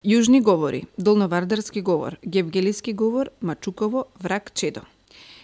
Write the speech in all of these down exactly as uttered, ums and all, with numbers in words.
Јужни говори, долновардарски говор, гевгелиски говор, Мачуково, враг чедо.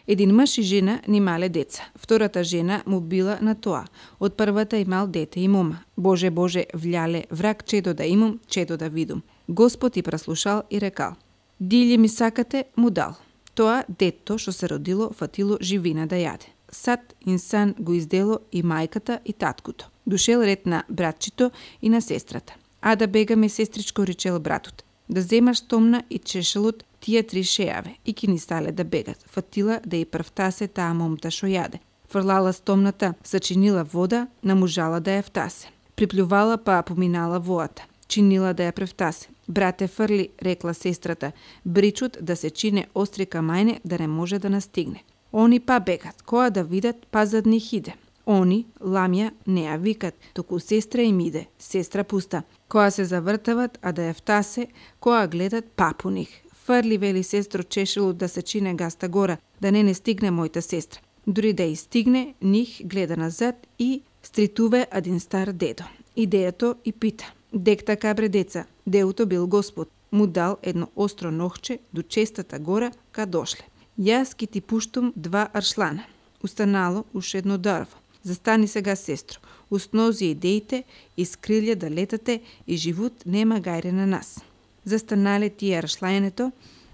Един мъж и жена нимале деца. Втората жена му била на тоа. Од првата имал дете и мома. Боже, Боже, вляле, враг чедо да имам, чедо да видум. Господ и праслушал и рекал: Дилје ми сакате, му дал. Тоа детто што се родило фатило живина да јаде. Сад инсан го издело и мајката и таткото. Дошел ред на братчито и на сестрата. А да бегаме, сестричко, речел братот. Да земаш томна и чешелот тие три шејаве и ки ни стале да бегат. Фатила да и првтасе таа момта шо јаде. Фрлала стомната, сачинила вода, намужала да ја втасе. Приплювала па поминала воата. Чинила да ја превтасе. Брате, фрли, рекла сестрата, бричут да се чине остри камајне да не може да настигне. Они па бегат, која да видат, па зад нив иде. Они, ламја, не ја викат, току сестра им иде, сестра пуста. Која се завртават, а да ја втасе, која гледат, па по них. Фрли, вели сестро, чешело да се чине гаста гора, да не не стигне мојта сестра. Дури да и стигне, них гледа назад и стритуве один стар дедо. Идејато и пита: Дек така, бре деца, деуто бил Господ, му дал едно остро нохче до честата гора ка дошле. Јас ки ти пуштум два аршлана. Устанало уш едно дрво. Застани сега, сестро, уснози идеите и скрилје да летате и живот нема гајре на нас. Застанале тие аршлајнето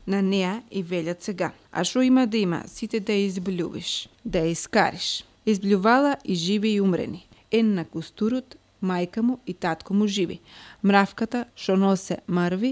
на неа и велят сега: А шо има да има, сите да ја избљувиш, да ја искариш. Избљувала и живи и умрени. Ен на кустурот, мајка му и татко му живи. Мравката шо носе мрви,